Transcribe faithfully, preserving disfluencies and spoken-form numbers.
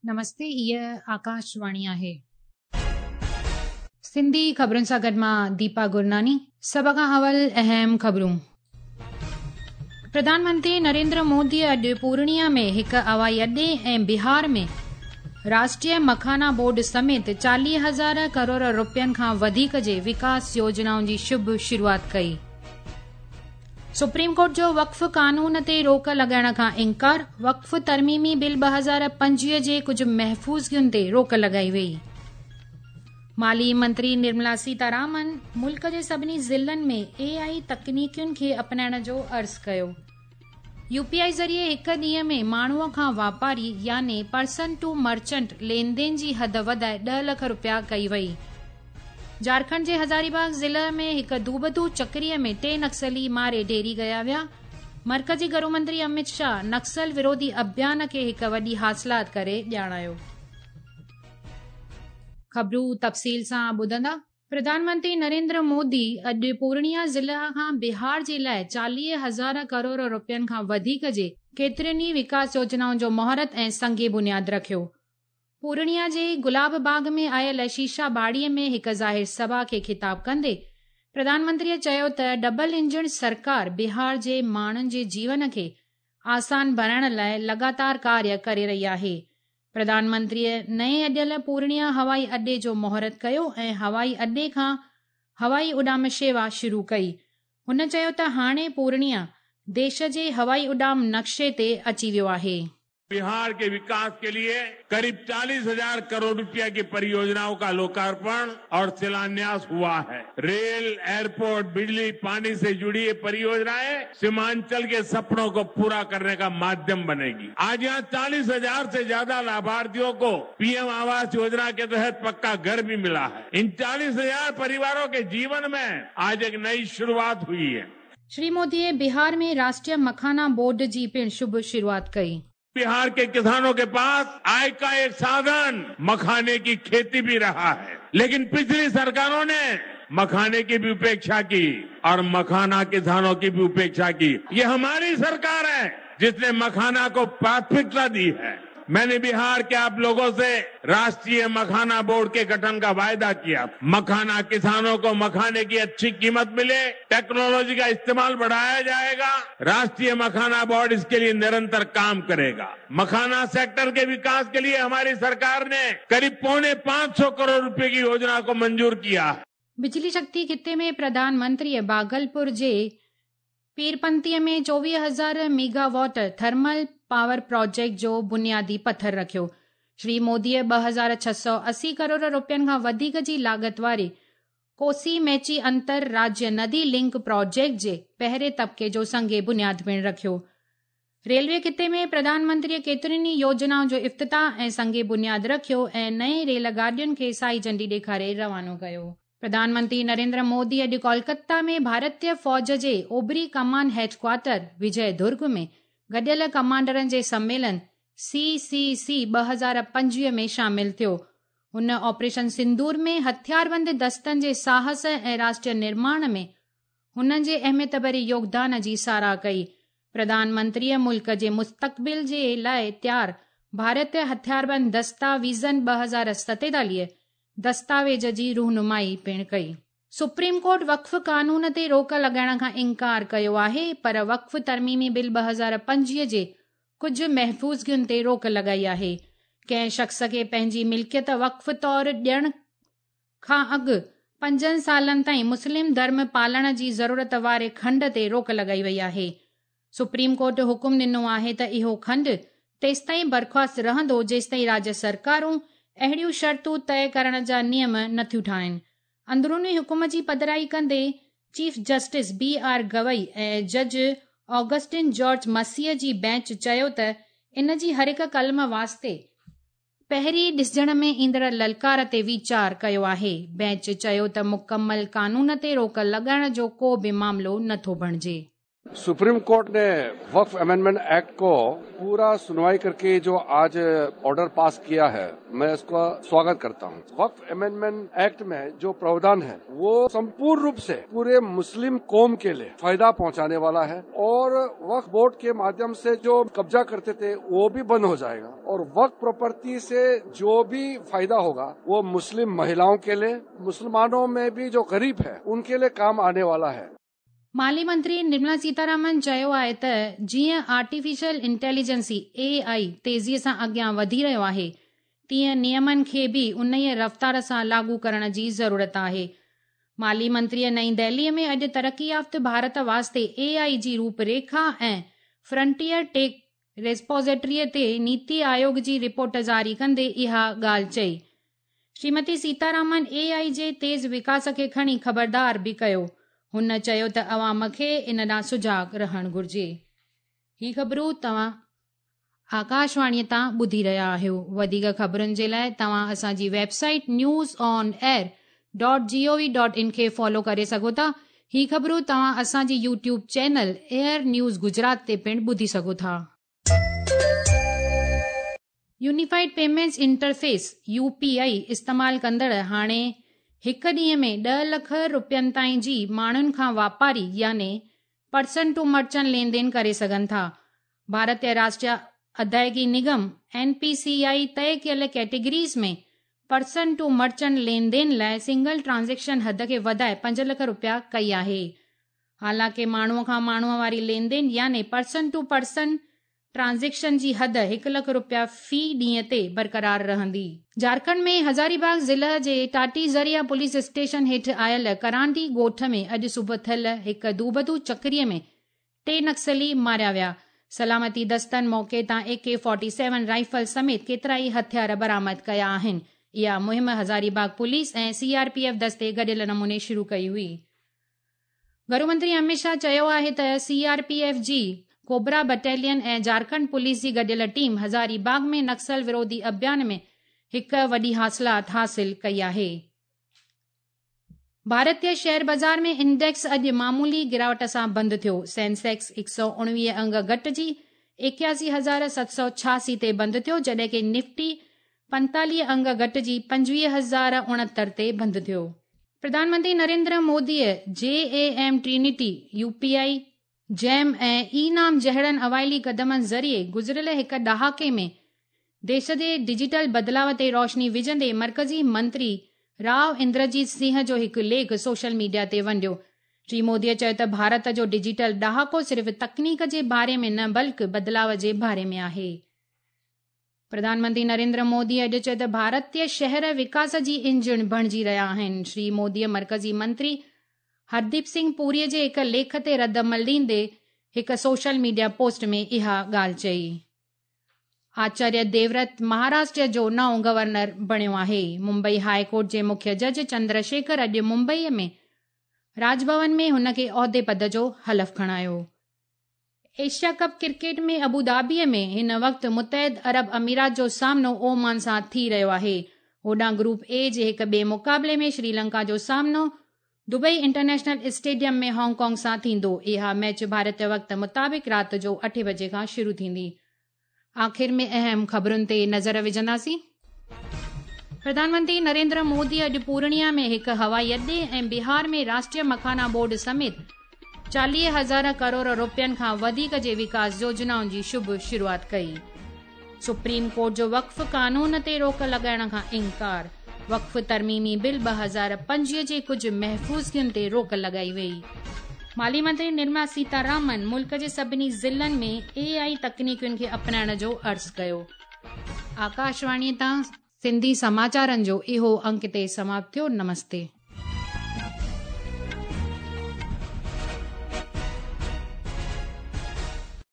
نمستي، هيء آڪاشواڻي آهي. سنڌي خبرن سان گڏ مان ديپا گرناني. سڀ کان اول اهم خبرون. پرڌان منتري نريندر مودي اڄ پورنيا ۾ هڪ هوائي اڏي ۽ بهار ۾ راشٽريه مکانا بورڊ سميت چاليهه هزار ڪروڙ روپين کان وڌيڪ جي وڪاس يوجنائن جي شڀ شروعات ڪئي. سپريم ڪورٽ جو وقف قانون تي روڪ لڳائڻ کان انڪار، وقف ترميمي بل ٻه هزار پنجويهه جي ڪجهه محفوظگين تي روڪ لڳائي وئي. مالي منتري نرملا سيتارامن ملڪ جي سڀني ضلعن ۾ اي آء تڪنيڪين کي اپنائڻ جو عرض ڪيو. يو پي آء ذريعي هڪ ڏينهن ۾ ماڻهوء کان واپاري يعني پرسن ٽو مرچنٽ لين دين جي حد وڌائي ڏهه لک روپيا ڪئي وئي. جهارکنڊ جي هزاري باغ ضلع ۾ هڪ دوبدو چڪريء ۾ ٽي نڪسلي ماري ڍيري ڪيا ويا. مرڪزي گهرو منتري امت شاهه نڪسل وروڌي اڀيان کي هڪ وڏي حاصلات ڪري ڄاڻايو. خبرون تفصيل سان ٻڌندا. پرڌان منتري نريندر مودي اڄ پورنيا ضلع کان بهار جي لاءِ چاليهه هزار ڪروڙ روپين کان وڌيڪ جي ڪيترين ئي وڪاس يوجنائن جو مهورت ۽ سنگ بنياد رکيو. پورنيا جي گلاب باغ ۾ آيل شيشا باڙي ۾ هڪ ظاهر سڀا کي خطاب ڪندي پرڌان منتريء چيو ته ڊبل انجڻ سرڪار بهار جي ماڻهن جي جيون کي آسان بڻائڻ لاءِ لڳاتار ڪاريه ڪري رهي آهي. پرڌان منتريء نئين اڏيل پورنيا هوائي اڏي جو مهورت ڪيو ۽ هوائي اڏي کان هوائي اڏام شيوا شروع ڪئي. هن چيو ته هاڻي پورنيا ديش جي هوائي اڏام نقشي تي اچي ويو آهي. बिहार के विकास के लिए करीब चालीस हजार करोड़ रुपया की परियोजनाओं का लोकार्पण और शिलान्यास हुआ है। रेल, एयरपोर्ट, बिजली, पानी से जुड़ी ये परियोजनाएं सीमांचल के सपनों को पूरा करने का माध्यम बनेगी। आज यहाँ चालीस हजार से ज्यादा लाभार्थियों को पीएम आवास योजना के तहत पक्का घर भी मिला है। इन चालीस हजार परिवारों के जीवन में आज एक नई शुरुआत हुई है। श्री मोदीअ बिहार में राष्ट्रीय मखाना बोर्ड जी पिण शुभ शुरुआत कई। बिहार के किसानों के पास आय का एक साधन मखाने की खेती भी रहा है, लेकिन पिछली सरकारों ने मखाने की भी उपेक्षा की और मखाना किसानों की भी उपेक्षा की। ये हमारी सरकार है जिसने मखाना को प्राथमिकता दी है। मैंने बिहार के आप लोगों से राष्ट्रीय मखाना बोर्ड के गठन का वायदा किया। मखाना किसानों को मखाने की अच्छी कीमत मिले, टेक्नोलॉजी का इस्तेमाल बढ़ाया जाएगा। राष्ट्रीय मखाना बोर्ड इसके लिए निरंतर काम करेगा। मखाना सेक्टर के विकास के लिए हमारी सरकार ने करीब पौने पांच सौ करोड़ रुपए की योजना को मंजूर किया। बिजली शक्ति खिते में प्रधानमंत्रीअ भागलपुर जे पीरपंतीअ में चोवीह हज़ार मेगावाट थर्मल पावर प्रोजेक्ट जो बुनियादी पथर रखियो। श्री मोदीअ ॿ हज़ार छह सौ असी करोड़ रुपयनि खां वधीक जी लागत वारे कोसी मैची अंतर राज्य नदी लिंक प्रोजेक्ट जे पहिरें तबके जो संग बुनियाद पिणु रखियो। रेलवे खिते में प्रधानमंत्रीअ केतिरियुनि ई योजनाउनि जो इफ्तिताह ऐं संग बुनियाद रखियो ऐं नए रेल गाॾियुनि खे साई झंडी ॾेखारे रवानो कयो। प्रधानमंत्री नरेंद्र मोदी अॼु कोलकाता में भारतीय फौज जे ओबरी कमान हेडक्वार्टर विजय दुर्ग में गॾियल कमांडरनि जे सम्मेलन सी सी सी ॿ हज़ार पंजवीह में शामिल थियो। हुन ऑपरेशन सिंदूर में हथियारबंद दस्तनि जे साहस ऐं राष्ट्रीय निर्माण में हुननि जे अहमियत भरे योगदान जी सराह कई। प्रधानमंत्रीअ मुल्क जे मुस्तक़बिल जे लाइ तयार भारतीय हथियारबंद दस्ता विज़न ॿ हज़ार सतेतालीह दस्तावेज़ जी रूनुमाई पिणु कई। सुप्रीम कोर्ट वक़्फ़ कानून ते रोक लॻाइण खां इंकार कयो आहे, पर वक़्फ़ तरमीमी बिल ॿ हज़ार पंजवीह जे कुझु महफ़ूज़गियुनि ते रोक लॻाई आहे। कंहिं शख़्स खे पंहिंजी मिल्कियत वक़्फ़ तौर ॾियण खां अॻु पंजनि सालनि ताईं मुस्लिम धर्म पालण जी ज़रूरत वारे खंड ते रोक लॻाई वई आहे। सुप्रीम कोर्ट हुकुम ॾिनो आहे त इहो खंड तेसिताईं बर्ख़ास्त रहंदो जेसिताईं राज्य सरकारूं अहिड़ियूं शर्तूं तय करण जा नियम नथियूं ठाहिनि। अंदरूनी हुकुम जी पधराई कंदे chief justice B R Gavai ऐं जज ऑगस्टिन जॉर्ज मसीह जी बेंच चयो त इन जी हर हिकु कलम वास्ते पहिरीं ॾिसजण में ईंदड़ ललकार ते वीचार कयो आहे। बेंच चयो त मुकमल कानून ते रोक लॻाइण जो को बि मामिलो नथो बणिजे। सुप्रीम कोर्ट ने वक्फ अमेंडमेंट एक्ट को पूरा सुनवाई करके जो आज ऑर्डर पास किया है, मैं इसका स्वागत करता हूं। वक्फ अमेंडमेंट एक्ट में जो प्रावधान है वो संपूर्ण रूप से पूरे मुस्लिम कौम के लिए फायदा पहुंचाने वाला है और वक्फ बोर्ड के माध्यम से जो कब्जा करते थे वो भी बंद हो जाएगा और वक्फ प्रॉपर्टी से जो भी फायदा होगा वो मुस्लिम महिलाओं के लिए, मुसलमानों में भी जो गरीब है उनके लिए काम आने वाला है। माली मंत्री निर्मला सीतारामन चयो आहे त जीअं आर्टिफिशियल इंटेलिजेंसी ए आई तेज़ीअ सां अॻियां वधी रहियो आहे, तीअं नियमनि खे बि उन्हीअ रफ़्तार सां लागू करण जी ज़रूरत आहे। माली मंत्रीअ नई दिल्लीअ में अॼु तरक़ी याफ़्त भारत वास्ते ए आई जी रूपरेखा ऐं फ्रंटियर टेक रेस्पोज़िटरीअ ते नीति आयोग जी रिपोर्ट जारी कंदे इहा ॻाल्हि चई। श्रीमती सीतारामन ए आई जे तेज़ विकास खे खणी ख़बरदार बि कयो। हुन चयो त अवाम खे इन ॾांहुं सुजाग रहणु घुर्जे। ही ख़बरूं तव्हां आकाशवाणीअ तां ॿुधी रहिया आहियो। वधीक ख़बरुनि जे लाइ तव्हां असांजी website news on air dot G O V dot in खे फॉलो करे सघो था। ही ख़बरूं तव्हां असांजी YouTube channel air news Gujarat ते पिणु ॿुधी सघो था। Unified payments interface U P I इस्तेमाल कंदड़ हाणे हिकु ॾींहं में ॾह लख रुपयनि ताईं जी माण्हुनि खां वापारी याने पर्सन टू मर्चेंट लेन then करे सघनि था। भारतीय राष्ट्रीय अदायगी निगम एन पी सी आई तय कयल categories में पर्सन टू मर्चेंट लेन then लाइ सिंगल ट्रांज़ैक्शन हद खे वधाए पंज लख रुपया कई आहे। हालांकि माण्हूअ खां माण्हूअ वारी लेन then याने पर्सन टू पर्सन ट्रांज़ैक्शन जी हद हिकु लख रुपया फ़ी ॾींहं ते बरक़रार रहंदी। झारखंड में हज़ारीबाग ज़िले जे टाटी ज़रिया पुलिस स्टेशन हेठि आयल करांडी ॻोठ में अॼु सुबुह थियल हिकु दूबदू चकरीअ में टे नक्सली मारिया विया। सलामती दस्तनि मौक़े तां ए के फोर्टी सेवन राइफल समेत केतिरा ई हथियार बरामद कया आहिनि। इहा मुहिम हज़ारीबाग पुलिस ऐं सी आर पी एफ दस्ते गॾियल नमूने शुरू कई हुई। घरू मंत्री अमित शाह चयो आहे त सी आर पी एफ जी कोबरा बटालियन ऐं झारखंड पुलिस जी गॾियल टीम हज़ारीबाग में नक्सल विरोधी अभियान में हिकु वॾी हासिलात हासिल कई आहे। भारतीय शेयर बाज़ार में इंडेक्स अॼु मामूली गिरावट सां बंदि थियो। सेंसेक्स हिकु सौ उणिवीह अंग घटिजी एकासी हज़ार सत सौ छासी ते बंदि थियो, जॾहिं की निफ्टी पंतालीह अंग घटिजी पंजवीह हज़ार उणहतरि ते बंदि थियो। प्रधानमंत्री नरेंद्र मोदीअ J A M Trinity, U P I, GeM ऐं ई नाम जहिड़नि अवाइली क़दमनि ज़रिए गुज़िरियल हिकु ॾहाके में देश जे डिजिटल बदिलाव ते रोशनी विझंदे मर्कज़ी मंत्री राव इंद्रजीत सिंह जो हिकु लेख सोशल मीडिया ते वंडियो। श्री मोदीअ चयो त भारत जो डिजिटल ॾहाको सिर्फ़ तकनीक जे बारे में न बल्कि बदिलाव जे बारे में आहे। प्रधानमंत्री नरेंद्र मोदी अॼु चयो त भारतीय शहर विकास जी इंजन बणिजी रहिया आहिनि। श्री मोदीअ मर्कज़ी मंत्री हरदीप सिंह पुरीअ जे हिकु लेख ते रद्द अमल ॾींदे हिकु सोशल मीडिया पोस्ट में इहा ॻाल्हि चई। आचार्य देवव्रत महाराष्ट्र जो नओं गवर्नर बणियो आहे। मुंबई हाई कोर्ट जे मुख्य जज चंद्रशेखर अॼु मुंबईअ में राजभवन में हुन खे ओहदे पद जो हलफ खणायो। एशिया कप क्रिकेट में अबू धाबीअ में हिन वक़्तु मुतहद अरब अमीरात जो सामनो ओमान सां थी रहियो आहे। होॾां ग्रुप ए जे हिकु ॿिए मुक़ाबले में श्रीलंका जो सामनो दुबई इंटरनेशनल स्टेडियम में हांगकांग सां थींदो। इहा मैच भारतीय वक़्त मुताबिक़ राति जो अठे बजे खां शुरू थींदी। आख़िर में अहम ख़बरुनि ते नज़र विझंदासीं। प्रधानमंत्री नरेंद्र मोदी अॼु पूर्णिया में हिकु हवाई अॾे ऐं बिहार में राष्ट्रीय मखाना बोर्ड समेत चालीह हज़ार करोड़ रुपयनि खां वधीक जे विकास योजनाउनि जी शुभ शुरूआत कई। सुप्रीम कोर्ट जो वक़्फ़ कानून ते रोक लॻाइण खां इनकार। वक़्फ़ तरमीमी बिल ॿ हज़ार पंजवीह जे कुझु महफ़ूज़गियुनि ते रोक लॻाई वई। माली मंत्री निर्मला सीतारामन मुल्क जे सभिनी ज़िलनि में ए आई तकनीकियुनि खे अपनाइण जो अर्ज़ु कयो। आकाशवाणीअ तां सिंधी समाचारनि जो इहो अंक ते समाप्त थियो। नमस्ते।